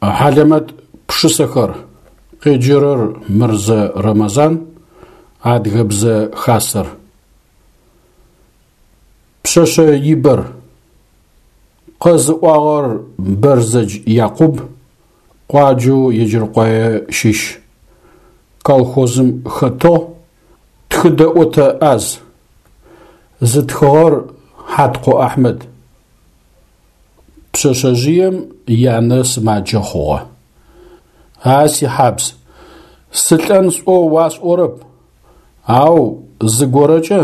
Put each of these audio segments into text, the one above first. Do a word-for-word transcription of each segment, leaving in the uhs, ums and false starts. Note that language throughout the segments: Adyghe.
Хьалэмэт пшысэхэр. Къеджэрэр Мырзэ Рэмэзан, Адыгэбзэ Хасэр. Пшъэшъэ ибэр. Къэзыӏуагъэр Бэрзэдж Якъуб, къуаджэу Еджэркъуае щыщ. Колхозым хэтыгъ, тхыдэӏотэ ӏаз. Зытхыгъэр Хьаткъо Ахьмэд. Пшъэшъэжъыем янэ сымаджэ хъугъэ. А сихьабз, сылӏэн сӏоу уасӏорэп, ау зыгорэкӏэ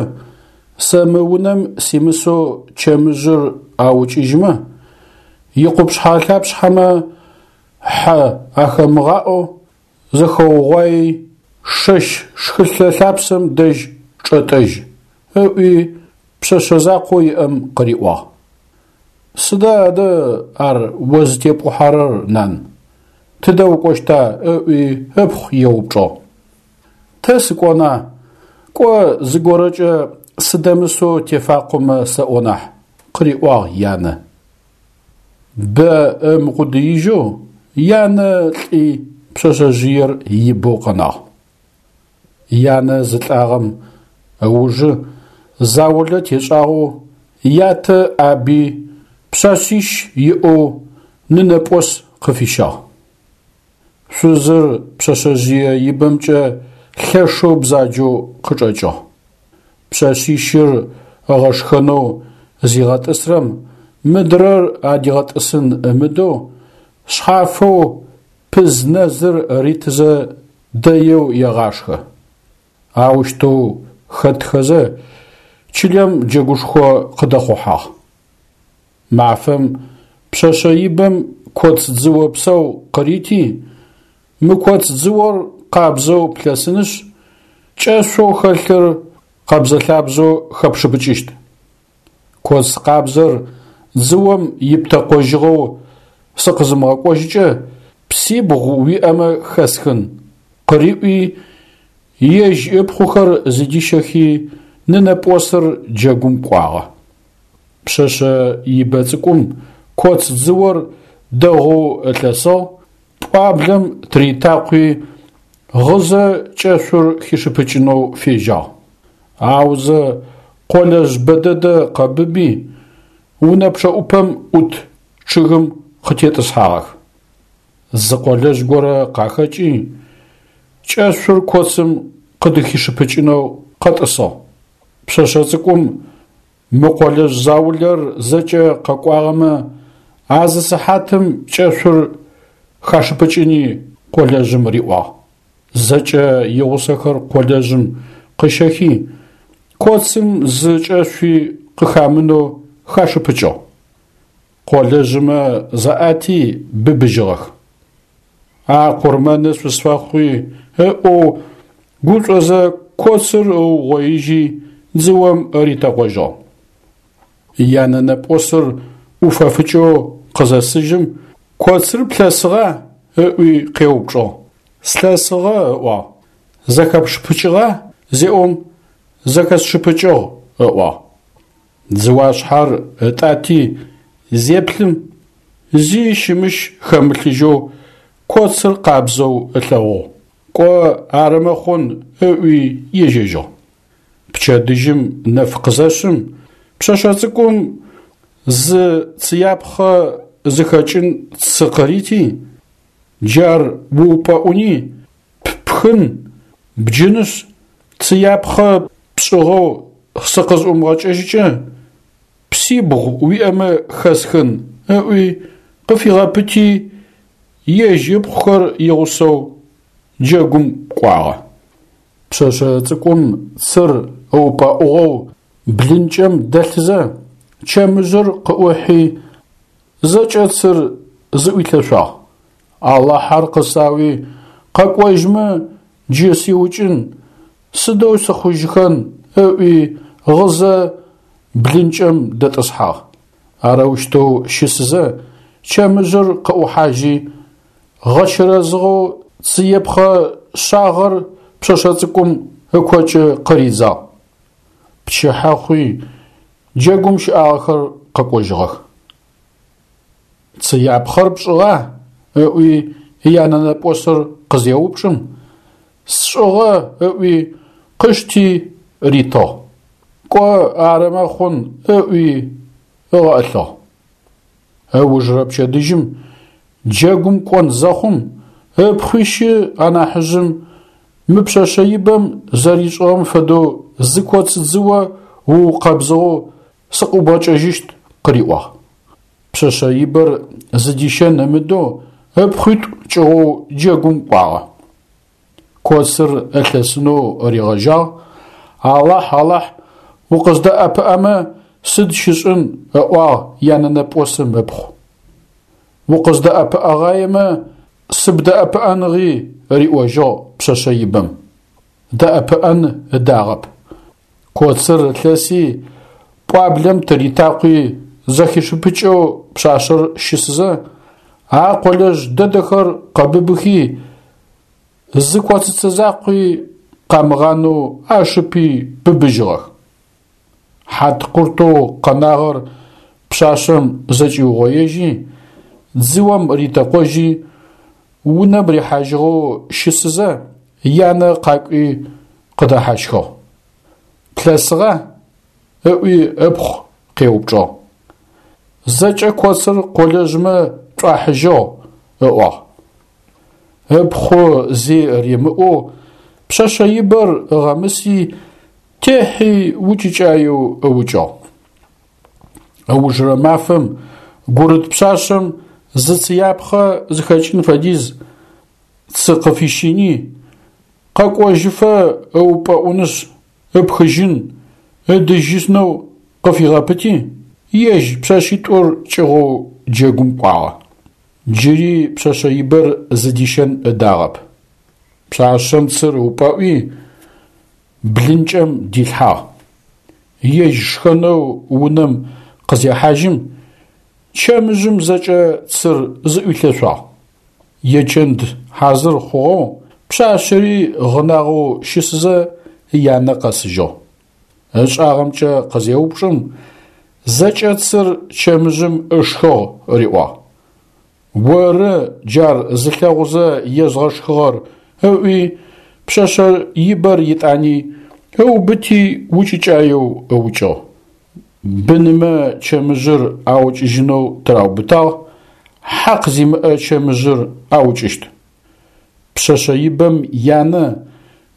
сэ мы унэм симысэу чэмыжъыр аукӏыжьмэ, икъупшъхьэ-лъапшъхьэмэ хьэ ахэмыгъаӏэу зэхэугъуаи шэщ шхылъэ лъапсэм дэжь чӏэтӏэжь, ыӏуи пшъэшъэ закъоу иӏэм къыриӏуагъ. Сыда адэ ар о зытепӏухьэрэр, нан? Тыдэ укӏощта? Ыӏуи ыпхъу еупчӏыгъ. Тэ сыкӏона, кӏо зыгорэкӏэ сыдэмысэу тефакъомэ сэӏо нахь, къыриӏуагъ янэ. Бэ ымыкъудыижьэу янэ лӏи пшъэшъэжъыер ибэу къэнагъ. Янэ зылӏагъэм ыужы заулэ тешӏагъэу ятэ ӏаби пшъэшъищ иӏэу нынэпӏос къыфищагъ. Шъузыр пшъэшъэжъые ибэмкӏэ лъэшэу бзаджэу къычӏэкӏыгъ. Пшъэшъищыр ыгъэшхэнэу зигъэтӏысрэм мыдрэр адигъэтӏысын ымыдэу шъхьафэу пыз-нэзыр ритызэ дэеу егъашхэ. Аущтэу хэтхэзэ чылэм джэгушхо къыдэхъухьагъ. Мафэм пшъэшъэ ибэм коц дзыо псау къырити, мы коц дзыор къабзэу плъэсынышъ, кӏэшъоу хэлъыр къэбзэ-лъабзэу хэпшыпыкӏыщт. Коц къабзэр дзыом иптэкъожьыгъэу сыкъызымыгъэкӏожьыкӏэ псибгъу уиӏэмэ хэсхын, къыриӏуи, ежь ыпхъухэр зыдищэхи нынэпӏосыр джэгум кӏуагъэ. Пшъэшъэ ибэ цӏыкӏум коц дзыор дэгъоу ылъэсыгъ, пӏуаблэм тыритакъуи, гъызэ кӏэшъур хишыпыкӏынэу фежьагъ. Аузэ къолэжъ бэдэдэ къэбыби, унэ пчъэӏупэм ӏут чъыгым къытетӏысхьагъэх. Зы къолэжъ горэ къахэкӏи, кӏэшъур коцым къыдыхишыпыкӏынэу къэтӏысыгъ. Пшъэшъэ цӏыкӏум мы къолэжъ заулэр зэкӏэ къэкӏуагъэмэ, а зы сыхьатым кӏэшъур хашыпыкӏыни къолэжъым риӏуагъ. Зэкӏэ игъусэхэр къолэжъым къыщэхи, коцым зы кӏэшъуи къыхамынэу хашыпыкӏыгъ. Къолэжъымэ заӏати быбыжьыгъэх. А къурмэны шъусфэхъуи ыӏоу гушӏозэ коцыр ыугъоижьи дзыом ритэкъожьыгъ. Янэнэпӏосыр ӏуфэфыкӏэу къызэсыжьым, коцыр плъэсыгъа? Ыӏуи къеупчӏыгъ. Слъэсыгъэ, ыӏуагъ. Зэхэпшыпыкӏыгъа? Зеӏом, зэхэсшыпыкӏыгъ, ыӏуагъ. Дзыуашъхьэр ытӏати зеплъым, зи щымыщ хэмылъыжьэу коцыр къабзэу ылъэгъугъ. Кӏо арымэ хъун ыӏуи ежьэжьыгъ. Пчэдыжьым нэф къызэшъым, пшъэшъэ цӏыкӏум зы цыяпхъэ зыхэкӏын цы къырити, джар уупӏэӏуни, ппхын, бджынышъ, цыяпхъэ пшӏыгъэу сыкъызӏумыгъэкӏэжьыкӏэ, псибгъу уиӏэмэ хэсхын, ыӏуи къыфигъэпыти, ежь ыпхъухэр игъусэу джэгум кӏуагъэ. Пшъэшъэ цӏыкӏум цыр ыупӏэӏугъэу блынкӏэм дэлъызэ, чэмыжъыр къыӏухьи, зэкӏэ цыр зыӏуилъэшъуагъ. Алахьэр къысауи, къэкӏожьмэ джы сиукӏын, сыдэу сыхъужьыхэн, ыӏуи гъызэ блынкӏэм дэтӏысхьагъ. Арэущтэу щысызэ чэмыжъыр къыӏухьажьи, гъэчэрэзыгъэу цыепхъэ шъагъэр пшъэшъэ цӏыкӏум ыкокӏы къыридзагъ. Пчыхьэ хъуи джэгум щыӏагъэхэр къэкӏожьыгъэх. Цыяпхъэр пшӏыгъа? ыӏуи янэнэпӏосыр къызеупчӏым, сшӏыгъэ ыӏуи къышти ритыгъ. Кӏо арымэ хъун ыӏуи ыгъэӏылъыгъ. Ыужырэ пчэдыжьым джэгум кӏон зэхъум ыпхъуищы анахьыжъым мы пшъэшъэ ибэм зэришӏыгъэм фэдэу зы коц дзыо уукъэбзыгъэу сыкъыӏубгъэкӏэжьыщт къыриӏуагъ. Пшъэшъэ ибэр зыдищэн ымыдэу ыпхъуитӏу кӏыгъоу джэгум кӏуагъэ. Коцыр ылъэсынэу ригъэжьагъ. Алахь, Алахь, укъыздэӏэпыӏэмэ сыд щышӏын, ыӏуагъ янэнэпӏосым ыпхъу. Укъыздэӏэпыӏэгъаемэ сыбдэӏэпыӏэныгъи, риӏожьыгъ пшъэшъэ ибэм. Дэӏэпыӏэн ыдагъэп. Коцыр ылъэси пӏуаблэм тыритакъуи зэхишыпыкӏэу пшъашъэр щысызэ, а къолэжъ дэдэхэр къэбыбыхи, зы коцыцэ закъуи къамыгъанэу ашыпи быбыжьыгъэх. Хьаткъуртэу къэнагъэр пшъашъэм зэкӏиугъоежьи, дзыом ритэкъожьи, унэм рихьажьыгъэу щысызэ, янэ къакӏуи къыдэхьащхыгъ. Плъэсыгъа? Ыӏуи ыпхъу къеупчӏыгъ. Зэкӏэ коцыр къолэжъмэ шӏуахьыжьыгъ, ыӏуагъ. Ыпхъу зи римыӏоу пшъэшъэ ибэр ыгъэмыси, техьи укӏыкӏаеу ыукӏыгъ. Ыужырэ мафэм гурыт пшъашъэм зы цыяпхъэ зыхэкӏын фэдиз цы къыфищини, къэкӏожьыфэ ыупӏэӏунышъ ыпхыжьын, ыдыжьынэу къыфигъэпыти, ежь пшъэшъитӏур кӏыгъоу джэгум кӏуагъэ. Джыри пшъэшъэ ибэр зыдищэн ыдагъэп. Пшъашъэм цыр ыупӏэӏуи, блынкӏэм дилъхьагъ. Ежь шхэнэу унэм къызехьажьым, чэмыжъым зэкӏэ цыр зыӏуилъэшъуагъ. Ечэнд хьазыр хъугъэу пшъашъэри гъынагъэу щысызэ янэ къэсыжьыгъ. Ышӏагъэмкӏэ къызеупчӏым, зэкӏэ цыр чэмыжъым ышхыгъ риӏуагъ. Оры джар зылъэгъузэ езгъэшхыгъэр ыӏуи пшъэшъэ ибэр итӏани ыубыти укӏыкӏаеу ыукӏыгъ. Бынымэ чэмыжъыр аукӏыжьынэу тыраубытагъ, хьакъ зимыӏэ чэмыжъыр аукӏыщт. Пшъэшъэ ибэм янэ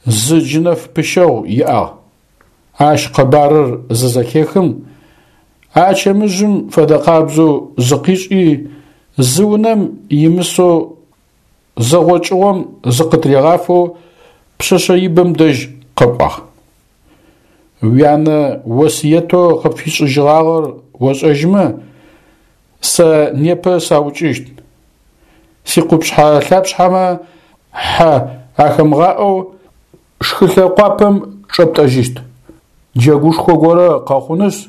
зы джынэф пыщэгъу иӏагъ. Ащ къэбарыр зызэхехым, а чэмыжъым фэдэкъабзэу зыкъишӏи, зы унэм имысэу зэгъокӏыгъом зыкъытригъафэу пшъэшъэ ибэм дэжь къэкӏуагъ. Уянэ осыетэу къыпфишӏыжьыгъагъэр ошӏэжьымэ, сэ непэ саукӏыщт. Сикъупшъхьэ лъапшъхьэмэ хьэ ахэмыгъаӏэу шхылъэ къуапэм чӏэптӏэжьыщт. Джэгушхо горэ къэхъунышъ,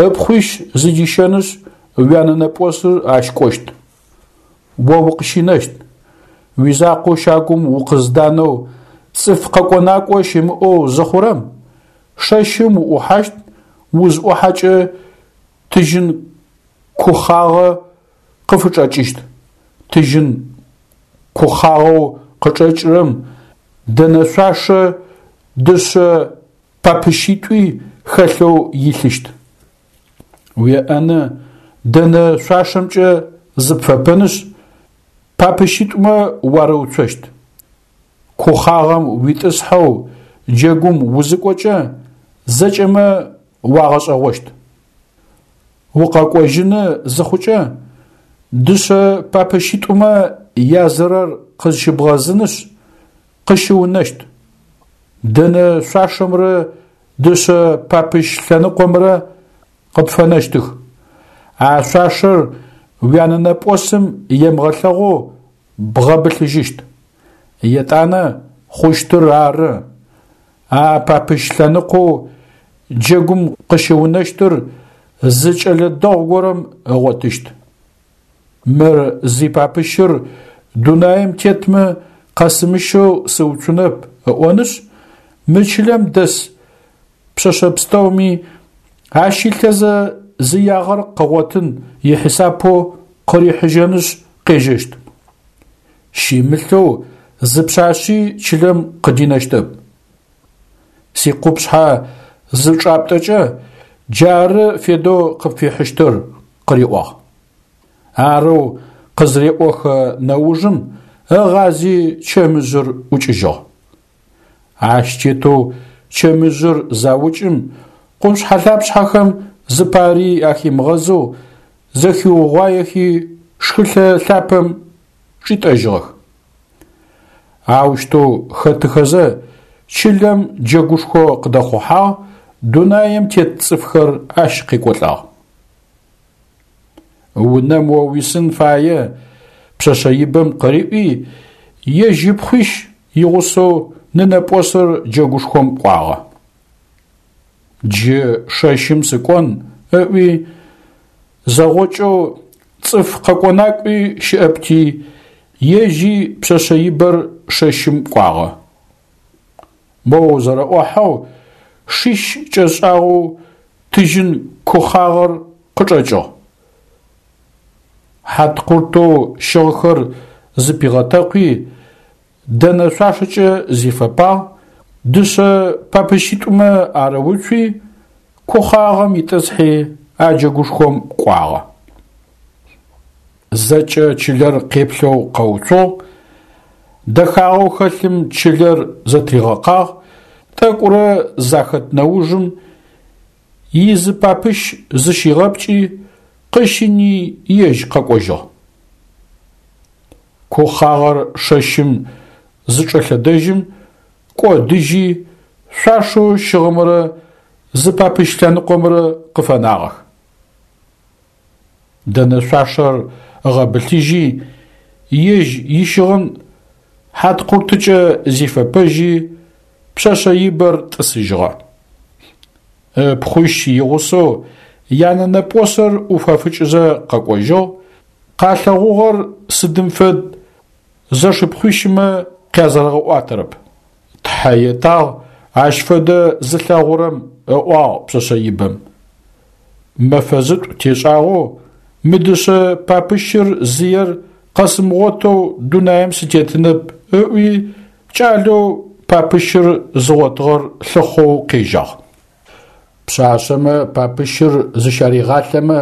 ыпхъуищ зыдищэнышъ, уянэнэпӏосыр ащ кӏощт. О укъыщынэщт. Уизакъоу щагум укъызданэу цӏыф къэкӏо-накӏо щымыӏэу зыхъурэм, шэщым уӏухьащт, узӏухьэкӏэ тыжьын кухъагъэ къыфычӏэкӏыщт. Тыжьын кухъагъэу къычӏэкӏырэм дэнэ шъуашэ дышъэ папыщитӏуи хэлъэу илъыщт. Уеӏэны дэнэ шъуашэмкӏэ зыпфэпэнышъ, папыщитӏумэ уарыуцощт. Кухъагъэм уитӏысхьэу джэгум узыкӏокӏэ зэкӏэмэ уагъэшӏэгъощт. Укъэкӏожьыны зыхъукӏэ дышъэ папыщитӏумэ язырэр къызщыбгъэзынышъ, къыщыунэщт. Дэнэ шъуашэмрэ дышъэ папыщ лъэныкъомрэ къыпфэнэщтых. А шъуашэр уянэнэпӏосым емыгъэлъэгъоу бгъэбылъыжьыщт. Етӏанэ хъущтыр ары. А папыщ лъэныкъоу джэгум къыщыунэщтыр зы кӏэлэ дэгъу горэм ыгъотыщт. Мыр зипапыщыр дунаим тетмэ къэсымыщэу сыуцунэп ыӏонышъ, мы чылэм дэс пшъэшъэ пстэуми ащилъэзэ зыягъэр къыгъотын ихьисапэу къырихьыжьэнышъ къежьэщт. Щимылъэу зы пшъашъи чылэм къыдинэщтэп. Сикъупшъхьэ зычӏаптӏэкӏэ, джары федэу къыпфихьыщтыр, къыриӏуагъ. Арэу къызыреӏохэ нэужым ыгъази чэмыжъыр ӏукӏыжьыгъ. Ащ тетэу чэмыжъыр заукӏым, къупшъхьэ-лъапшъхьэхэм зыпари ахимыгъэзэу зэхиугъуаехи шхылъэ лъапэм чӏитӏэжьыгъэх. Аущтэу хэтыхэзэ чылэм джэгушхо къыдэхъухьагъ, дунаим тет цӏыфхэр ащ къекӏолӏагъ. Унэм о уисын фае пшъэшъэ ибэм къыриӏуи, ежь ыпхъуищ игъусэу нынэпӏосыр джэгушхом кӏуагъэ. Джы шэщым сыкӏон ыӏуи, зэгъокӏэу цӏыф къэкӏо-накӏуи щыӏэпти, ежьи пшъэшъэ ибэр шэщым кӏуагъэ. Моу зэрэӏохьэу шищ кӏэшӏагъэу тыжьын кухъагъэр къычӏэкӏыгъ. Хьаткъуртэу щыгъхэр зыпигъэтэкъуи, дэнэ шъуашэкӏэ зифэпагъ, дышъэ папыщитӏумэ арыуцуи, кухъагъэм итӏысхьи а джэгушхом кӏуагъэ. Зэкӏэ чылэр къеплъэу къэуцугъ, дэхагъэу хэлъым чылэр зэтригъэкъагъ, тӏэкӏурэ захэт нэужым изы папыщ зыщигъэпкӏи, къыщыни ежь къэкӏожьыгъ. Кухъагъэр шэщым зычӏэлъэдэжьым, кӏодыжьи, шъуашэу щыгъымрэ зы папыщ лъэныкъомрэ къыфэнагъэх. Дэнэ шъуашэр ыгъэбылъыжьи, ежь ищыгъын хьаткъуртыкӏэ зифэпэжьи, пшъэшъэ ибэр тӏысыжьыгъэ. Ыпхъуищ игъусэу янэнэпӏосыр ӏуфэфыкӏызэ къэкӏожьыгъ, къалъэгъугъэр сыдым фэд зэшыпхъуищымэ къязэрэгъэӏуатэрэп. Тхьэ етагъ ащ фэдэ зылъэгъурэм, ыӏуагъ пшъэшъэ ибэм. Мэфэ зытӏу тешӏагъэу мы дышъэ папыщыр зыер къэсымыгъотэу дунаим сытетынэп ыӏуи кӏалэу папыщыр зыгъотыгъэр лъыхъоу къежьагъ. Пшъашъэмэ папыщыр зыщаригъалъэмэ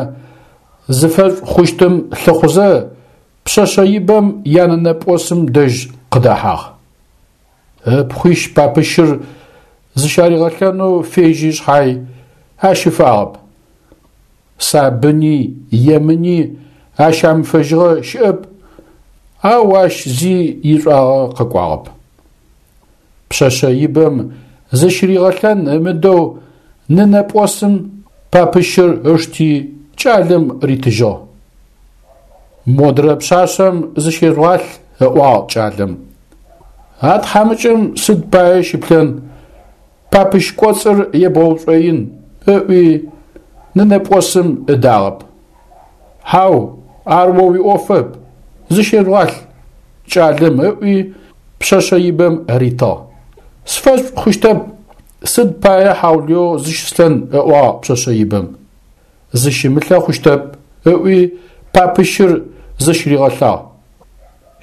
зыфэшӏу хъущтым лъыхъузэ пшъэшъэ ибэм янэнэпӏосым дэжь къыдэхьагъ. Ыпхъуищ папыщыр зыщаригъэлъэнэу фежьи шъхьай ащыфагъэп. Сабыни, емыни ащамыфэжьыгъэ щыӏэп, ау ащ зи ишӏуагъэ къэкӏуагъэп. Пшъэшъэ ибэм зыщыригъэлъэн ымыдэу нынэпӏосым папыщыр ышти кӏалэм ритыжьыгъ. Модрэ пшъашъэм зыщежъугъалъ, ыӏуагъ кӏалэм. А тхьамыкӏэм сыд пае щыплъэн, папыщ кӏоцӏыр ебгъэушӏоин, ыӏуи нынэпӏосым ыдагъэп. Хьау, ар о уиӏофэп, зыщежъугъалъ, кӏалэм ыӏуи пшъэшъэ ибэм ритыгъ. Сфэшӏу хъущтэп, сыд пае хьаулыеу зыщыслъэн, ыӏуагъ пшъэшъэ ибэм. Зыщымылъэ хъущтэп, ыӏуи папыщыр зыщыригъэлъагъ.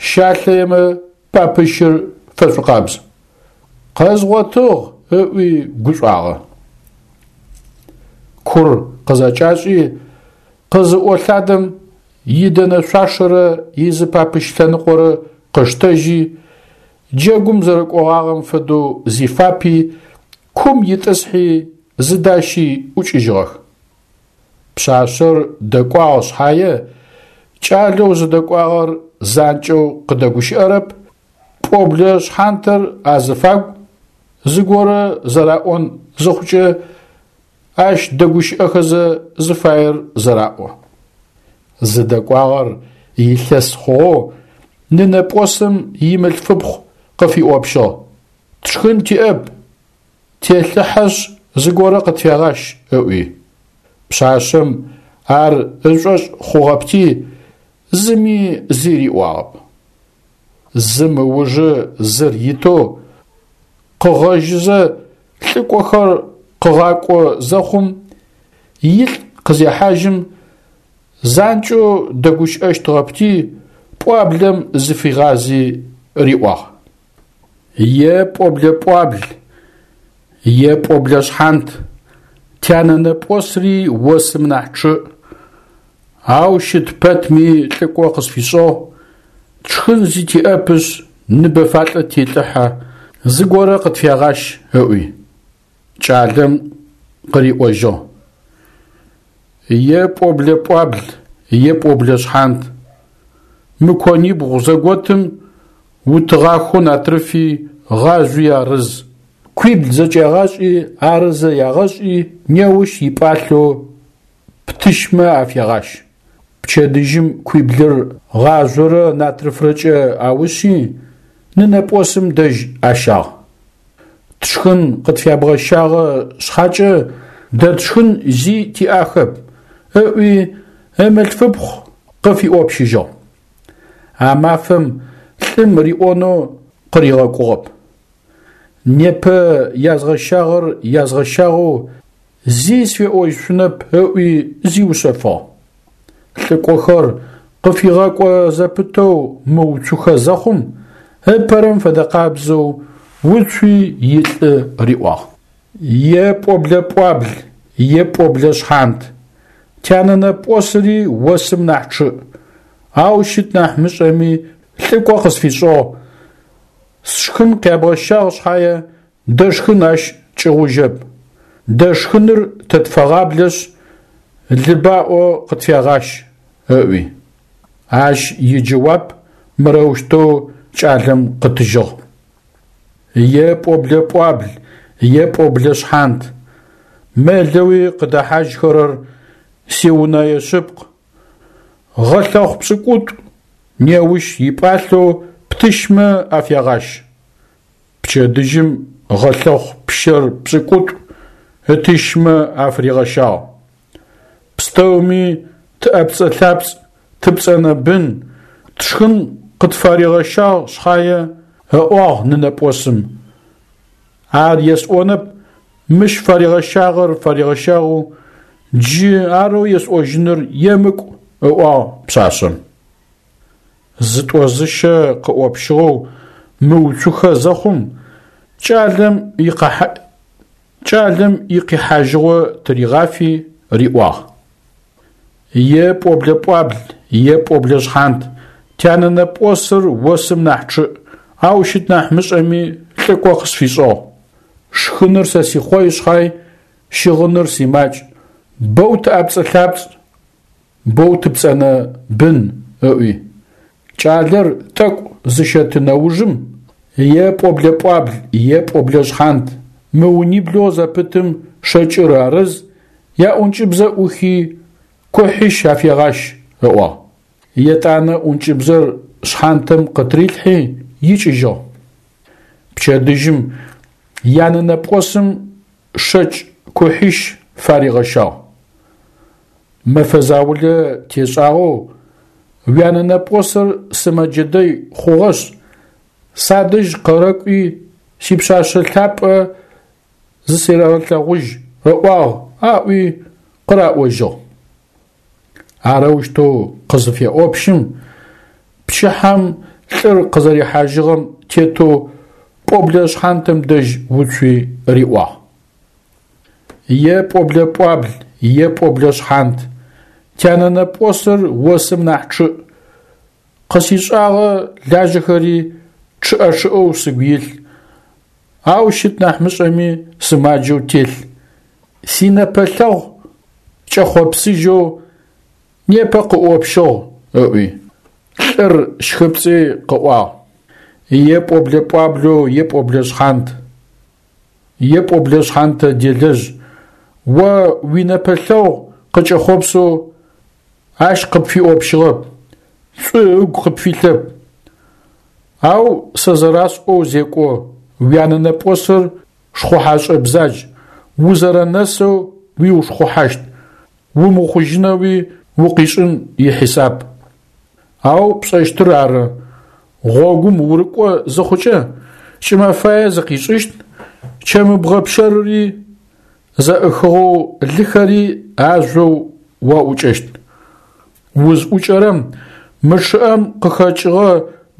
Щалъэемэ папыщыр фэшӏукъабз. Къэзгъотыгъ, ыӏуи гушӏуагъэ. Кур къызэкӏашӏи, къызыӏолъадэм идэнэ шъуашэрэ изы папыщ лъэныкъорэ къыштэжьи, джэгум зэрэкӏогъагъэм фэдэу зифапи, кум итӏысхьи, зыдащи ӏукӏыжьыгъэх. Пшъашъэр дэкӏуагъ шъхьае, кӏалэу зыдэкӏуагъэр занкӏэу къыдэгущыӏэрэп, пӏоблэ шъхьантэр азыфагу, зыгорэ зэраӏон зыхъукӏэ, ащ дэгущыӏэхэзэ зыфаер зэраӏо. Зыдэкӏуагъэр илъэс хъугъэу нынэпӏосым имылъфыпхъу къыфиӏопщыгъ: «Тшхын тиӏэп, телъыхьэшъ зыгорэ къытфегъащ», ыӏуи. Пшъашъэм ар ышӏошъ хъугъэпти, зыми зи риӏуагъэп. Зым ыужы зыр итэу къыгъэжьызэ лӏыкӏохэр къыгъакӏо зэхъум, илӏ къызехьажьым, занкӏэу дэгущыӏэщтыгъэпти, Пӏуаблэм зыфигъази риӏуагъ: Е пӏоблэ пӏуабл, е пӏоблэ шъхьант, тянэнэпӏосри осым нахь чъыӏ, ау щыт пэтми лӏыкӏо къысфишӏыгъ, тшхын зи тиӏэпышъ, ныбэ фалӏэ телӏыхьэ, зыгорэ къытфегъащ, ыӏуи. Кӏалэм къыриӏожьыгъ: Е пӏоблэ пӏуабл, е пӏоблэ шъхьант, мы конибгъу зэготым утыгъахэу натрыфи гъажъуи арыз. Куибл зэкӏягъашӏи, арызэ ягъэшӏи, неущ ипӏалъэу птыщмэ афегъащ. Пчэдыжьым куиблыр гъажъорэ натрыфрэкӏэ аушъи, нынэпӏосым дэжь ащагъ. Тшхын къытфябгъэщагъэ шъхьакӏэ дэ тшхын зи тиӏахэп, ыӏуи ымылъфыпхъу къыфиӏопщыжьыгъ. А мафэм лӏым риӏонэу къыригъэкӏугъэп. Непэ язгъэщагъэр язгъэщагъэу зи сфеӏожьышъунэп ыӏуи зиушъэфыгъ. Лӏыкӏохэр къыфигъэкӏо зэпытэу мыуцухэ зэхъум, ыпэрэм фэдэкъабзэу уцуи илӏы риӏуагъ: Е пӏоблэ пӏуабл, е пӏоблэ шъхьант, тянэнэпӏосри осым нахь чъыӏ, ау щыт нахь мышӏэми лӏыкӏо къысфишӏыгъ, сшхын къябгъэщагъ шъхьае дэшхын ащ кӏыгъужьэп, дэшхыныр тэ тфэгъаблэшъ, лы баӏо къытфегъащ, ыӏуи. Ащ иджэуап мырэущтэу кӏалэм къытыжьыгъ: Е пӏоблэ пӏуабл, е пӏоблэ шъхьант, мэлэуи къыдэхьажьхэрэр сиунэе шъыпкъ, гъэлъэхъу пшӏыкӏутӏу неущ ипӏалъэу птыщмэ афегъащ. Пчэдыжьым гъэлъэхъу пщэр пшӏыкӏутӏу ытыщмэ афыригъэщагъ. Пстэуми тыӏэпцӏэ-лъапцӏ, тыпцӏэнэ бын, тшхын къытфаригъэщагъ шъхьае, ыӏуагъ нынэпӏосым. Ар есӏонэп, мыщ фаригъэщагъэр фаригъэщагъэу, джы арэу есӏожьыныр емыкӏу, ыӏуагъ пшъашъэм. Зытӏо-зыщэ къыӏопщыгъэу мыуцухэ зэхъум, кӏалэм икъэхьа кӏалэм икъихьажьыгъо тыригъафи риӏуагъ: Е пӏоблэ пӏуабл, е пӏоблэ шъхьант, тянэнэпӏосыр осым нахь чъыӏ, ау щыт нахь мышӏэми лӏыкӏо къысфишӏыгъ. Шхыныр сэ сихъой шъхьай, щыгъыныр симакӏ, боу тыӏэпцӏэ-лъапцӏ, боу тыпцӏэнэ бын, ыӏуи. Кӏалэр тӏэкӏу зыщэты нэужым, е пӏоблэ пӏуабл, е пӏоблэ шъхьант, мы униблэу зэпытым шэкӏыр арыз, яӏункӏыбзэ ӏухи, кухьищ афегъащ, ыӏуагъ. Етӏанэ ӏункӏыбзэр шъхьантэм къытырилъхьи икӏыжьыгъ. Пчэдыжьым янэнэпӏосым шэкӏ кухьищ фаригъэщагъ. Мэфэ заулэ тешӏагъэу уянэнэпӏосыр сымэджэ дэй хъугъэшъ, садэжь къэрэкӏуи сипшъашъэ лъапӏэ зысерэгъэлъэгъужь ыӏуагъ аӏуи къыраӏожьыгъ. Арэущтэу къызыфеӏопщым, пчыхьэм лӏыр къызэрихьажьыгъэм тетэу пӏоблэ шъхьантэм дэжь уцуи риӏуагъ: Е пӏоблэ пӏуабл, е пӏоблэ шъхьант, тянэнэпӏосыр осым нахь чъыӏ, къысишӏагъэ лажьэхэри чъыӏэ-чъыӏэу сыгу илъ, ау щыт нахь мышӏэми сымаджэу телъ, синэпэлъэгъу кӏэхъопсыжьэу непэ къыӏопщыгъ, ыӏуи. Лӏыр щхыпцӏи къыӏуагъ: Е пӏоблэ пӏуаблэу, е пӏоблэ шъхьант, е пӏоблэ шъхьантэ делэжъ, о уинэпэлъэгъу къыкӏэхъопсэу ащ къыпфиӏопщыгъэп, шӏу ыгу къыпфилъэп. Ау сэ зэрасӏоу зекӏо, уянэнэпӏосыр шхъухьашӏэ бзадж, узэрэнэсэу уиушхъухьащт, умыхъужьынэуи укъишӏын ихьисап. Ау пшӏэщтыр ары, гъогум урыкӏо зыхъукӏэ, кӏымэфае зыкъишӏыщт, чэмыбгъэ пщэрыри зэӏыхыгъэу лыхэри ажъоу уаӏукӏэщт. Узӏукӏэрэм Мы чъыӏэм къыхэкӏыгъэ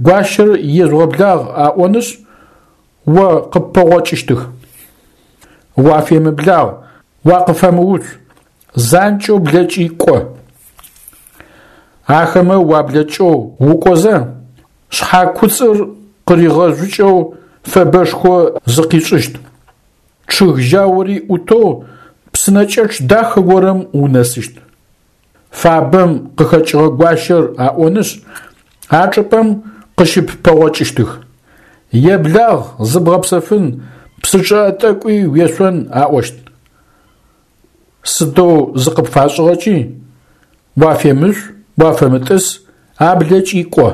гуащэр ежъугъэблагъ аӏонышъ, о къыппэгъокӏыщтых. Уафемыблагъ, уакъыфэмыуцу, занкӏэу блэкӏи кӏо. Ахэмэ уаблэкӏэу укӏозэ, шъхьакуцӏыр къыригъэжъукӏэу фэбэшхо зыкъишӏыщт. Чъыг жьаури ӏутэу псынэкӏэчъ дахэ горэм унэсыщт. Фабэм къыхэкӏыгъэ гуащэр аӏонышъ, а чӏыпӏэм къыщыппэгъокӏыщтых. Еблагъ, зыбгъэпсэфын, псы чъыӏэ тӏэкӏуи уешъон аӏощт. Сыдэу зыкъыпфашӏыгъэкӏи, уафемышӏу, уафэмытӏыс, аблэкӏи кӏо.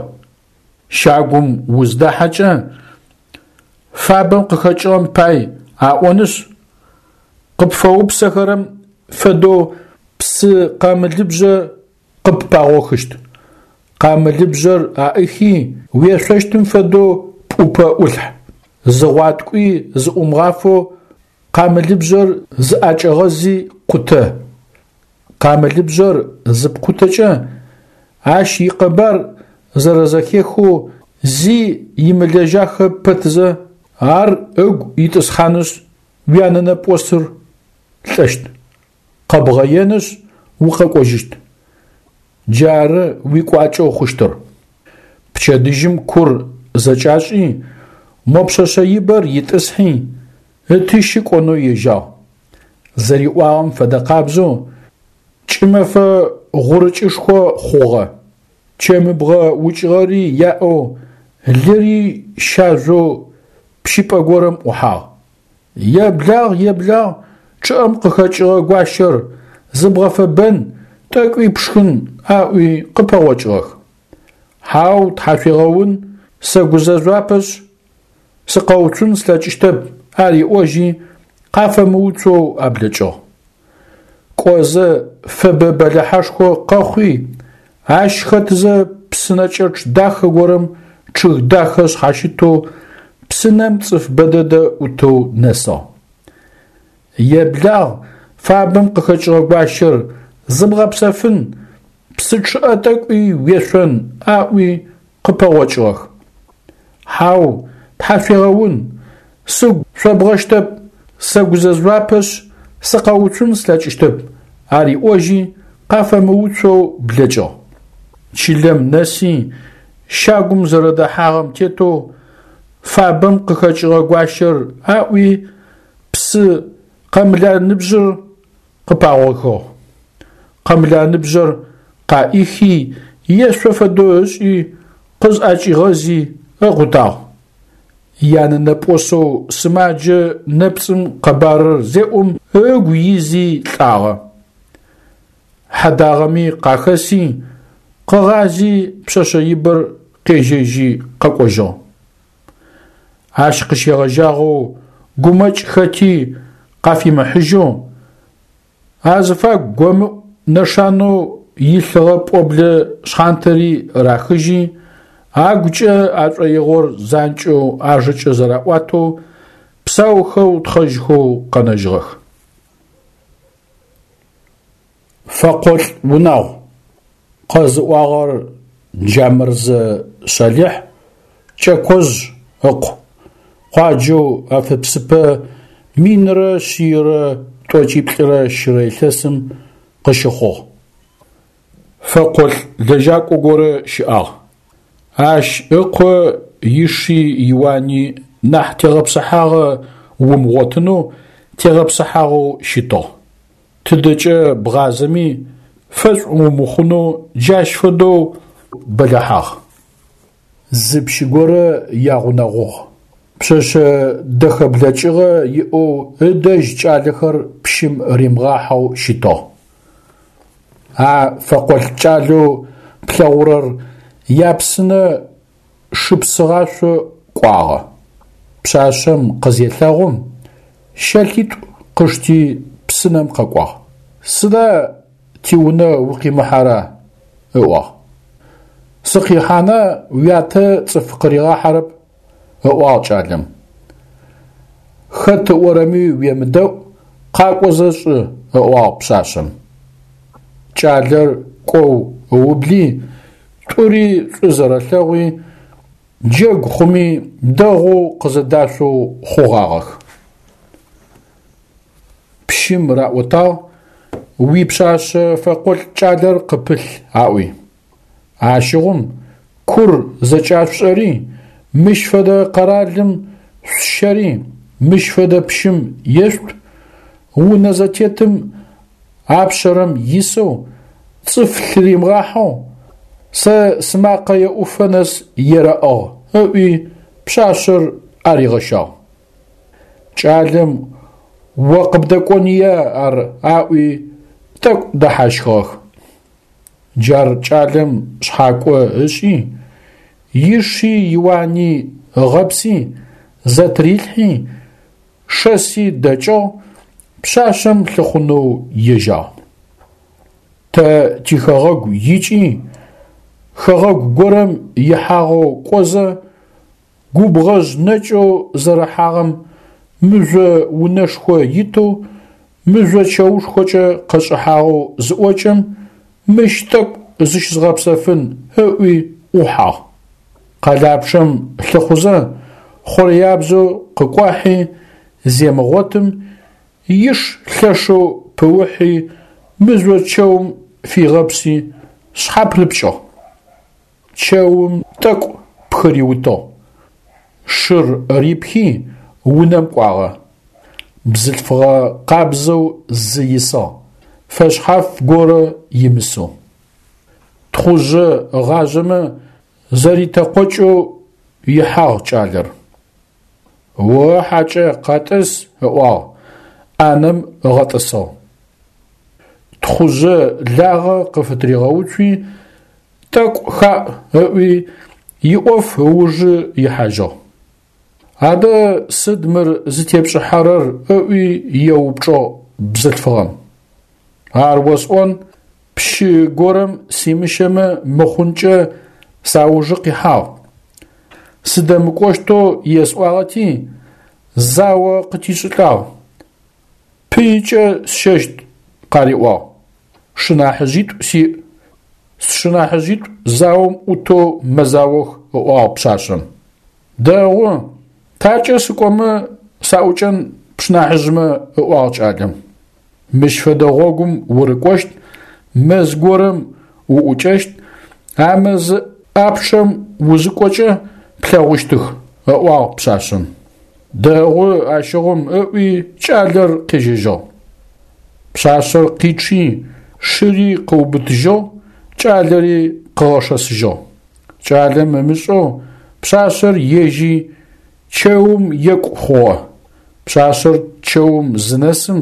Щагум уздахьэкӏэ, фабэм къыхэкӏыгъэм пай аӏонышъ, къыпфэупсэхэрэм фэдэу псы къамылыбжъэ къыппагъохыщт. Къамылыбжъэр аӏыхи, уешъощтым фэдэу пӏупэ ӏулъхь. Зы гъуаткӏуи зыӏумыгъафэу къамылыбжъэр зыӏэкӏэгъэзи къутэ. Къамылыбжъэр зыпкъутэкӏэ, ащ икъэбар зэрэзэхехэу зи имылэжьахэ пэтзэ, ар ыгу итӏысхьанышъ, уянэнэпӏосыр лӏэщт. Къэбгъэенышъ, укъэкӏожьыщт. Джары уикӏуакӏэу хъущтыр. Пчэдыжьым кур зэкӏашӏи, мо пшъэшъэ ибэр итӏысхьи, ытыщи кӏонэу ежьагъ. Зэриӏуагъэм фэдэ къабзэу кӏымэфэ гъурыкӏышхо хъугъэ. Чэмыбгъэ укӏыгъэри яӏэу, лыри щажъоу пщыпӏэ горэм ӏухьагъ. Еблагъ, еблагъ, чъыӏэм къыхэкӏыгъэ гуащэр, зыбгъэфэбэн, тӏэкӏуи пшхын, аӏуи къыпэгъокӏыгъэх. Хьау, тхьашъуегъэун, сэгузэжъуапэшъ, сыкъэуцун слъэкӏыщтэп, ариӏожьи, къафэмыуцоу аблэкӏыгъ. Кӏозэ фэбэ бэлыхьэшхо къэхъуи, ащ хэтзэ псынэкӏэчъ дахэ горэм чъыг дахэ шъхьащытэу псынэм цӏыф бэдэдэ ӏутэу нэсыгъ. Еблагъ, фабэм къыхэкӏыгъэ гуащэр, зыбгъэпсэфын, псы чъыӏэ тӏэкӏуи уешъон, аӏуи къыпэгъокӏыгъэх. Хьау, тхьашъуегъэун, сыгу шъобгъэщтэп, сэгузэжъуапэшъ, сыкъэуцун слъэкӏыщтэп, ариӏожьи, къафэмыуцоу блэкӏыгъ. Чылэм нэси, щагум зэрэдэхьагъэм тетэу фабэм къыхэкӏыгъэ гуащэр аӏуи, псы къэмланыбжъыр къыпагъохыгъ. Къэмланыбжъэр къаӏихи, ешъо фэдэу ышӏи, къызӏэкӏигъэзи ыкъутагъ. Янэнэпӏосэу сымаджэ нэпцӏым къэбарыр зеӏум ыгу изи лӏагъэ. Хьэдагъэми къахэси, къыгъази пшъэшъэ ибэр къежьэжьи къэкӏожьыгъ. Ащ къыщегъэжьагъэу гумэкӏ хэти къафимыхьыжьэу, азыфагу гомыӏу нэшанэу илъыгъэ пӏоблэ шъхьантэри рахыжьи, агукӏэ ашӏоигъор занкӏэу ажэкӏэ зэраӏуатэу, псаухэу тхъэжьхэу къэнэжьыгъэх. Фэкъолӏ унагъу. Къэзыӏуагъэр Джамырзэ Шъалихь, Кӏэкожъ ыкъу. Къуаджэу Афыпсыпэ минрэ шъийрэ тӏокӏиплӏырэ щырэ илъэсым къыщыхъугъ. Фэкъолӏ лэжьакӏо горэ щыӏагъ. Ащ ыкъо иши иуани нахь тегъэпсыхьагъэ умыгъотынэу тегъэпсыхьагъэу щытыгъ. Тыдэкӏэ бгъазэми фэшӏу умыхъунэу джащ фэдэу бэлыхьагъ. Зы пщы горэ ягъунэгъугъ. Пшъэшъэ дэхэ блэкӏыгъэ иӏэу ыдэжь кӏалэхэр пщым римыгъахьэу щытыгъ. А фэкъолӏ кӏалэу плъэгъурэр япсынэ шыпсыгъашъо кӏуагъэ. Пшъашъэм къызелъэгъум, щэлъитӏу къышти псынэм къэкӏуагъ. Сыда тиунэ укъимыхьэра? ыӏуагъ. Сыкъихьана уятэ цӏыф къыригъахьэрэп, ыӏуагъ кӏалэм. Хэт ыӏорэми уемыдэӏу, къакӏозэ шӏы, ыӏуагъ пшъашъэм. Кӏалэр кӏоу ыубли, Тӏури шӏу зэрэлъэгъуи, джэгу хъуми дэгъоу къызэдашъоу хъугъагъэх. Пщым раӏотагъ: «Уипшъашъэ фэкъолӏ кӏалэр къыпылъ», – аӏуи. Ащыгъум кур зэкӏашъушӏэри, мыщ фэдэ къэралым шъущэри, мыщ фэдэ пщым ешъут, унэ зэтетым апшъэрэм исэу, цӏыф лъыримыгъахьэу, сэ сымакъэ еӏуфэ нэс ерэӏыгъ, ыӏуи пшъашъэр аригъэщагъ. Кӏалэм о къыбдэкӏония ар аӏуи тӏэкӏу дэхьащхыгъэх. Джар кӏалэм шъхьакӏо ышӏи, иши иуани ыгъэпси, зэтырилъхьи, шэси дэкӏыгъ, пшъашъэм лъыхъунэу ежьагъ. Тэ тихэгъэгу икӏи, хэгъэгу горэм ихьагъэу кӏозэ, губгъэжъ нэкӏэу зэрыхьагъэм мыжъо унэшхо итэу, мыжъо чэушхокӏэ къэшӏыхьагъэу зыӏокӏэм, мыщ тӏэкӏу зыщызгъэпсэфын ыӏуи ӏухьагъ. Къэлапчъэм лъыхъузэ, хъурэябзэу къыкӏуахьи земыгъотым, иш лъэшэу пыухьи мыжъо чэум фигъэпси шъхьапырыпкӏыгъ. Чэум тӏэкӏу пхыриутыгъ. Шыр рипхи унэм кӏуагъэ. Бзылъфыгъэ къабзэу зы исыгъ, фэшъхьаф горэ имысэу. Тхъужъы ыгъажъэмэ зэритэкъокӏэу ихьагъ кӏалэр. О хьакӏэ, къэтӏыс, ыӏуагъ, ӏанэм ыгъэтӏысыгъ. Тхъужъы лагъэ къыфытыригъэуцуи, тӏэкӏу хаӏ ыӏуи, иӏоф ыужы ихьажьыгъ. Адэ сыд мыр зытепшӏыхьэрэр ыӏуи еупчӏыгъ бзылъфыгъэм. Ар осӏон, пщы горэм симыщэмэ мыхъункӏэ саужы къихьагъ. Сыдэмыкӏощтэу есӏуагъэти, зао къытишӏылӏагъ. Пыикӏэ сщэщт, къариӏуагъ. Шынахьыжъитӏу сиӏ. Сшынахьыжъитӏу заом ӏутэу мэзаох, ыӏуагъ пшъашъэм. Дэгъу, такӏэ сыкӏомэ саӏукӏэн пшынахьыжъмэ, ыӏуагъ кӏалэм. Мыщ фэдэ гъогум урыкӏощт, мэз горэм уӏукӏэщт, а мэз ӏапчъэм узыкӏокӏэ плъэгъущтых, ыӏуагъ пшъашъэм. Дэгъу ащыгъум, ыӏуи кӏалэр къежьэжьыгъ. Пшъашъэр къичъи, шыри къыубытыжьыгъ, кӏалэри къыгъэшэсыжьыгъ. Кӏалэм ымышӏэу пшъашъэр ежьи чэум екӏу хъугъэ. Пшъашъэр чэум зынэсым,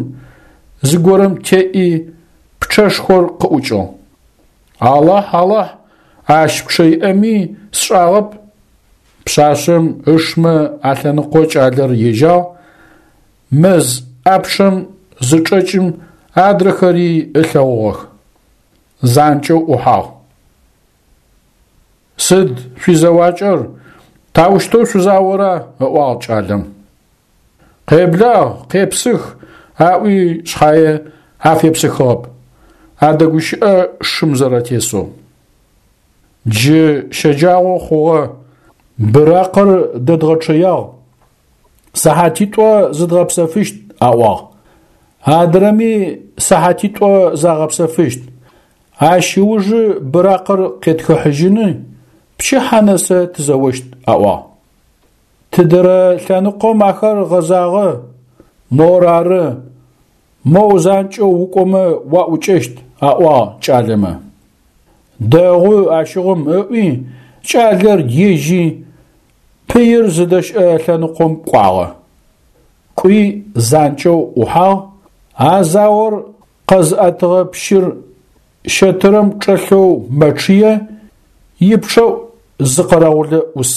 зыгорэм теӏи пчъэшхор къыӏукӏыгъ. Алахь, Алахь, ащ пчъэ иӏэми сшӏагъэп. Пшъашъэм ышмэ алъэныкъо кӏалэр ежьагъ, мэз ӏапчъэм зычӏэкӏым адрэхэри ылъэгъугъэх. Занкӏэу ӏухьагъ. Сыд шъуизэуакӏэр, таущтэу шъузаора? Ыӏуагъ кӏалэм. Къеблагъ, къепсых, аӏуи шъхьае афепсыхыгъэп. Адэгущыӏэ шым зэрэтесэу. Джы щэджагъо хъугъэ, быракъыр дэдгъэчъыягъ. Сыхьатитӏо зыдгъэпсэфыщт, аӏуагъ. Адрэми сыхьатитӏо загъэпсэфыщт. Ащ ыужы быракъыр къетхыхьыжьыны, пчыхьэ нэсэ тызэощт, аӏуагъ. Тыдэрэ лъэныкъом ахэр гъэзагъэ, мор ары, моу занкӏэу укӏомэ уаӏукӏэщт, аӏуагъ кӏалэмэ. Дэгъу ащыгъум ыӏуи, кӏалэр ежьи, пыир зыдэщыӏэ лъэныкъом кӏуагъэ. Кӏуи занкӏэу ӏухьагъ, а заор къэзыӏэтыгъэ пщыр щэтырэм чӏэлъэу мэчъые, ипчъэӏу зы къэрэгъулэ ӏус.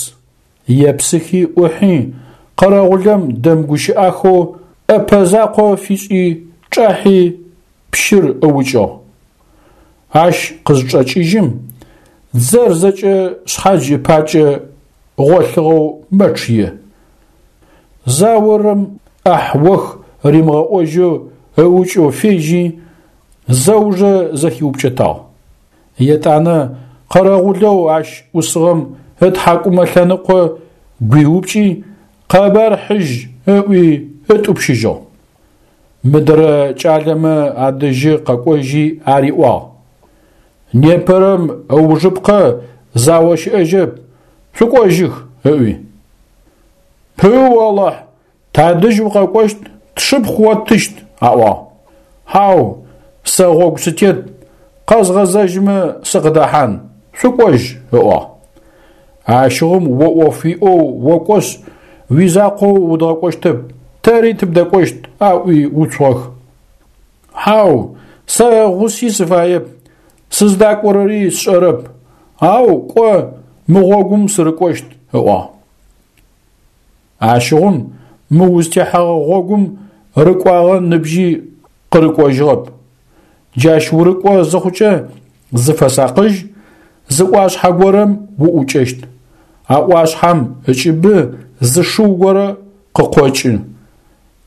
Епсыхи ӏухьи, къэрэгъулэм дэмыгущыӏахэу ӏэпэ закъо фишӏи чӏахьи пщыр ыукӏыгъ. Ащ къызчӏэкӏыжьым, дзэр зэкӏэ шъхьадж ыпакӏэ гъолъыгъэу мэчъые. Заорэм ӏахь-ох римыгъэӏожьэу ыукӏэу фежьи, зэужэ зэхиупкӏэтагъ. Етӏанэ къэрэгъулэу ащ ӏусыгъэм ытхьакӏумэ лъэныкъо гуиупкӏи, къэбар хьыжь ыӏуи ытӏупщыжьыгъ. Мыдрэ кӏалэмэ адэжьы къэкӏожьи ариӏуагъ: Непэрэм ыужыпкъэ зао щыӏэжьэп, шъукӏожьых, ыӏуи. Пыу Алахь, тадэжь укъэкӏощт, тшыпхъу оттыщт, аӏуагъ. Хьау, сэ гъогу сытет, къэзгъэзэжьмэ сыкъыдэхьан, шъукӏожь, ыӏуагъ. Ащыгъум о ӏоф уиӏэу окӏошъ, уизакъоу удгъэкӏощтэп, тэри тыбдэкӏощт, аӏуи уцугъэх. Хьау, сэ гъуси сыфаеп, сыздакӏорэри сшӏэрэп, ау кӏо мы гъогум сырыкӏощт, ыӏуагъ. Ащыгъум мы узтехьэгъэ гъогум рыкӏуагъэ ныбжьи къырыкӏожьыгъэп. Джащ урыкӏо зыхъукӏэ зыфэсакъыжь, зы ӏуашъхьэ горэм уӏукӏэщт. А ӏуашъхьэм ыкӏыбы зы шыу горэ къыкъокӏы.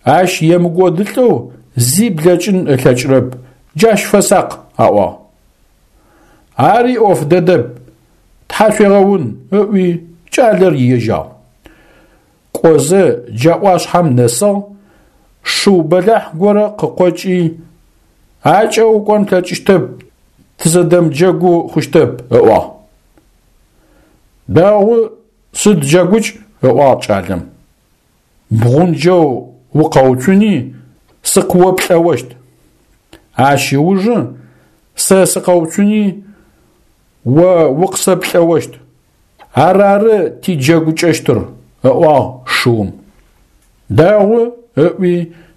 Ащ емыкӏодылӏэу зи блэкӏын ылъэкӏырэп, джащ фэсакъ, аӏуагъ. Ари ӏоф дэдэп, тхьашъуегъэун, ыӏуи кӏалэр ежьагъ. Кӏозэ джа ӏуашъхьэм нэсыгъ, шыу бэлахь горэ къыкъокӏи, акӏэ укӏон плъэкӏыщтэп, тызэдэмыджэгу хъущтэп, ыӏуагъ. Дэгъу, сыд джэгукӏ, ыӏуагъ кӏалэм. Бгъунджэу укъэуцуни сыкъыоплӏэощт. Ащ ыужы сэ сыкъэуцуни о укъысэплӏэощт. Арары тиджэгукӏэщтыр, ыӏуагъ шыум. Дэгъу, ыӏуи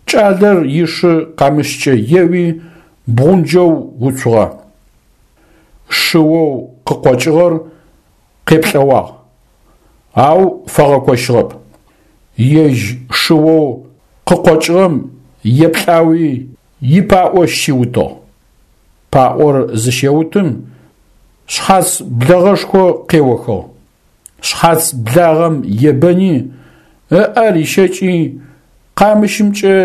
кӏалэр ишы къамыщкӏэ еуи бгъунджэу уцугъэ. Шыоу къыкъокӏыгъэр къеплӏэуагъ, ау фэгъэкощыгъэп. Ежь шыоу къыкъокӏыгъэм еплӏауи ипаӏо щиутыгъ. Паӏор зыщеутым шъхьац блэгъэшхо къеохыгъ. Шъхьац благъэм ебэни, ыӏэ рищэкӏи, къамыщымкӏэ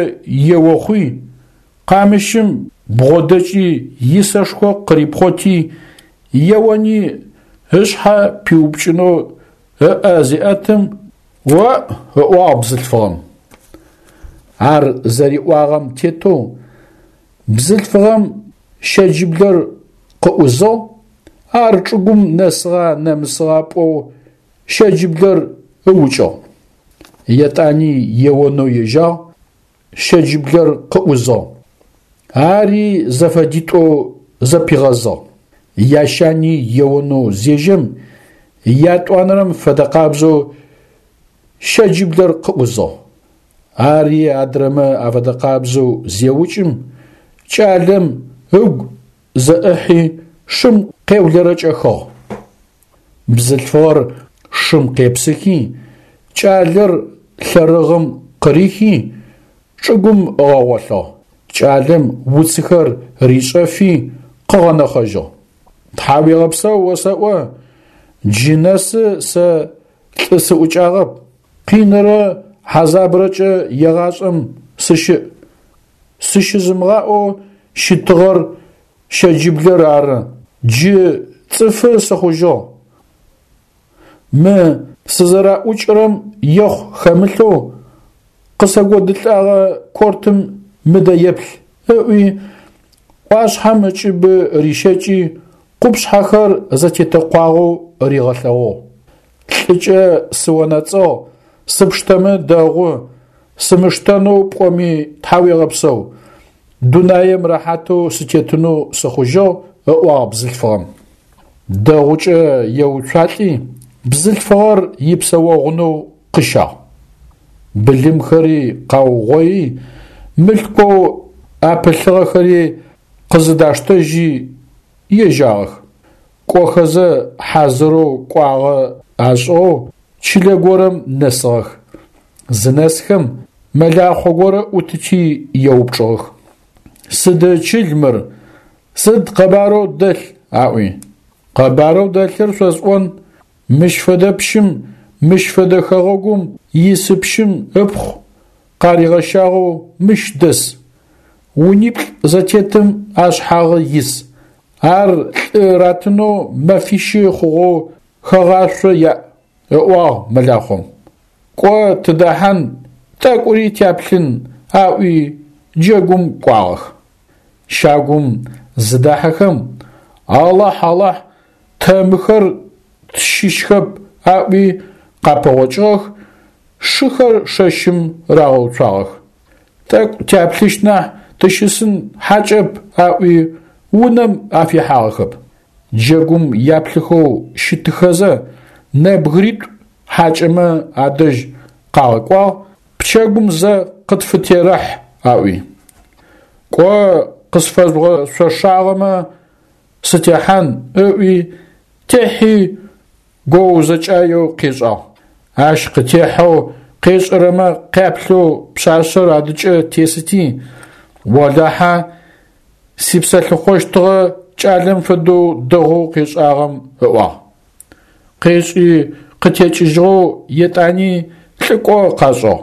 еохъуи, къамыщым бгъодэкӏи исэшхо къырипхъоти, еони ышъхьэ пиупкӏынэу ыӏэ зеӏэтым, «О!» ыӏуагъ бзылъфыгъэм. Ар зэриӏуагъэм тетэу бзылъфыгъэм щэджыблэр къыӏузыгъ, ар чӏыгум нэсыгъа нэмысыгъа пӏоу щэджыблэр ыукӏыгъ. Етӏани еонэу ежьагъ, щэджыблэр къыӏузыгъ. Ари зэфэдитӏоу зэпигъэзыгъ. Ящани еонэу зежьэм, ятӏуанэрэм фэдэкъабзэу щэджыблэр къыӏузыгъ. Ари адрэмэ афэдэкъабзэу зеукӏым, кӏалэм ыгу зэӏыхьи шым къеулэрэкӏэхыгъ. Бзылъфыгъэр шым къепсыхи, кӏалэр лъэрыгъым къырихи, чӏыгум ыгъэгъолъыгъ. Кӏалэм уцыхэр ришӏэфи къыгъэнэхъэжьыгъ. Тхьауегъэпсэу осэӏо, джы нэсы сэ лӏы сыӏукӏагъэп, къинэрэ хьазабрэкӏэ егъашӏэм сыщыӏ. Сыщызымыгъаӏэу щытыгъэр щэджыблэр ары, джы цӏыфы сыхъужьыгъ. Мы сызэраӏукӏырэм ехъу хэмылъэу къысэгодылӏэгъэ кортым мыдэ еплъ, ыӏуи, ӏуашъхьэм ыкӏыбы рищэкӏи, къупшъхьэхэр зэтетэкъуагъэу ригъэлъэгъугъ. Лӏыкӏэ сыонэцӏыгъ, сыпштэмэ дэгъу, сымыштэнэу пӏоми тхьауегъэпсэу, дунаем рэхьатэу сытетынэу сыхъужьыгъ, ыӏуагъ бзылъфыгъэм. Дэгъукӏэ еуцуалӏи, бзылъфыгъэр ипсэогъунэу къыщагъ. Былымхэри къаугъои, мылъкоу апылъыгъэхэри къызыдаштэжьи ежьагъэх. Кӏохэзэ хьазырэу кӏуагъэ ашӏыгъэу чылэ горэм нэсыгъэх. Зынэсхэм мэлахъо горэ ӏутыти еупчӏыгъэх: Сыд чыл мыр, сыд къэбарэу дэлъ? Аӏуи. Къэбарэу дэлъыр шъосӏон, мыщ фэдэ пщым, мыщ фэдэ хэгъэгум исы пщым ыпхъу къаригъэщагъэу мыщ дэс. Униплӏ зэтетым ашъхьагъы ис. Ар лӏы ратынэу мэфищы хъугъэу хэгъуашъо яӏ, ыӏуагъ мэлахъом. Кӏо тыдэхьан, тӏэкӏури тяплъын, аӏуи джэгум кӏуагъэх. Щагум зыдахьэхэм, Алахь, Алахь, тэ мыхэр тщыщхэп аӏуи къапэгъокӏыгъэх, шыхэр шэщым рагъэуцуагъэх. Тӏэкӏу тяплъыщт нахь тыщысын хьакӏэп аӏуи унэм афихьагъэхэп. Джэгум яплъыхэу щытыхэзэ нэбгыритӏу хьакӏэмэ адэжь къагъэкӏуагъ, пчэгум зэ къытфытерэхь аӏуи. Кӏо къысфэжъугъэшъошагъэмэ сытехьан ыӏуи техьи гоузэкӏаеу къешӏагъ. Ащ къытехьэу къешӏэрэмэ къяплъэу пшъашъэр адыкӏэ тесыти, олахьэ сипсэлъыхъощтыгъэ кӏалэм фэдэу дэгъоу къешӏагъэм ыӏуагъ. Къешӏи къытекӏыжьыгъэу етӏани лӏыкӏо къашӏыгъ.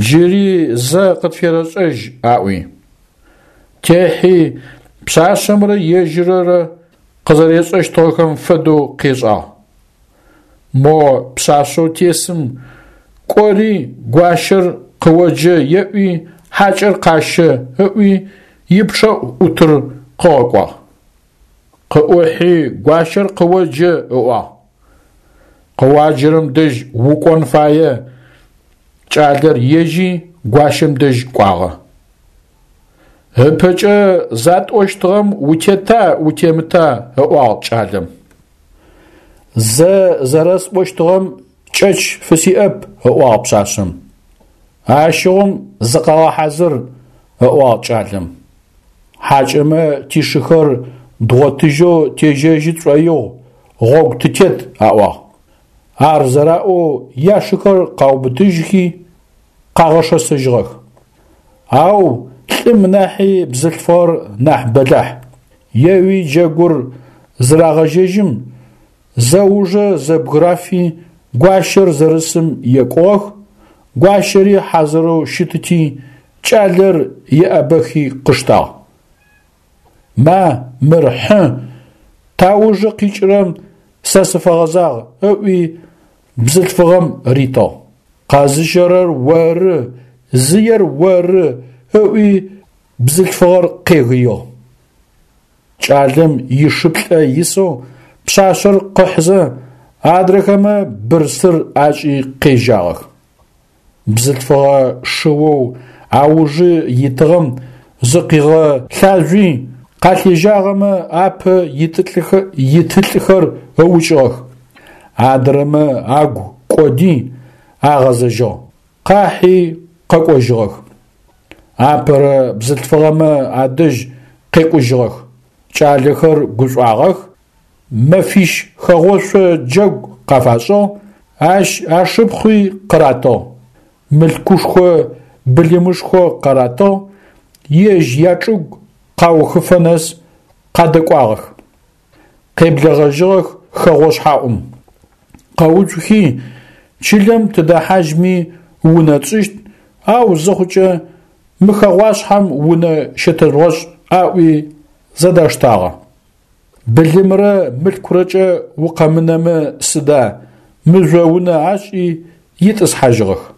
Джыри зэ къытферэшӏэжь аӏуи. Техьи пшъашъэмрэ ежьыррэ къызэрешӏэщтыгъэхэм фэдэу къешӏагъ. Мо пшъашъэу тесым кӏори гуащэр къыоджэ еӏуи хьакӏэр къащэ ыӏуи ипчъэӏу ӏутыр къыгъэкӏуагъ. Къыӏухьи гуащэр къыоджэ ыӏуагъ. Къыуаджэрэм дэжь укӏон фае. Кӏалэр ежьи гуащэм дэжь кӏуагъэ. Ыпэкӏэ затӏощтыгъэм утета утемыта ыӏуагъ кӏалэм. Зэ зэрэсӏощтыгъэм кӏэч фысиӏэп, ыӏуагъ пшъашъэм. Ащыгъум зыкъэгъэхьазыр, ыӏуагъ кӏалэм. Хьакӏэмэ тишыхэр дгъотыжьэу тежьэжьы тшӏоигъу, гъогу тытет, аӏуагъ. Ар зэраӏоу яшыхэр къаубытыжьхи къагъэшэсыжьыгъэх. Ау лӏым нахьи бзылъфыгъэр нахь бэлахь. Еуи джэгур зырагъэжьэжьым, зэужэ зэбгырафи гуащэр зэрысым екӏугъэх, гуащэри хьазырэу щытыти, кӏалэр еӏэбэхи къыштагъ. Ма, мыр хьы, таужы къикӏырэм сэ сыфэгъэзагъ, ыӏуи бзылъфыгъэм ритыгъ. Къэзыщэрэр оры, зыер оры, ыӏуи бзылъфыгъэр къегыигъ. Кӏалэм ишыплӏэ исэу пшъашъэр къыхьзэ, адрэхэмэ бырсыр ашӏи къежьагъэх. Бзылъфыгъэ шыоу аужы итыгъэм зыкъигъэлъажъуи къалъежьагъэмэ апэ итылӏыхэр ыукӏыгъэх. Адрэмэ агу кӏоди агъэзэжьыгъ. Къахьи къэкӏожьыгъэх. Апэрэ бзылъфыгъэмэ адэжь къекӏужьыгъэх. Кӏалэхэр гушӏуагъэх, мэфищ хэгъошъо джэгу къафашӏыгъ, ащ ашыпхъуи къыратыгъ. Мылъкушхо былымышхо къаратыгъ, ежь ячӏыгу къаухыфэ нэс къадэкӏуагъэх. Къеблэгъэжьыгъэх хэгъошъхьаӏум. Къэуцухи чылэм тыдэхьажьми унэ тшӏыщт, ау зыхъукӏэ мы хэгъуашъхьэм унэ щэтэжъугъэшӏ аӏуи зэдаштагъэ. Былымрэ мылъкурэкӏэ укъэмынэмэ сыда, мыжъо унэ ашӏи итӏысхьажьыгъэх.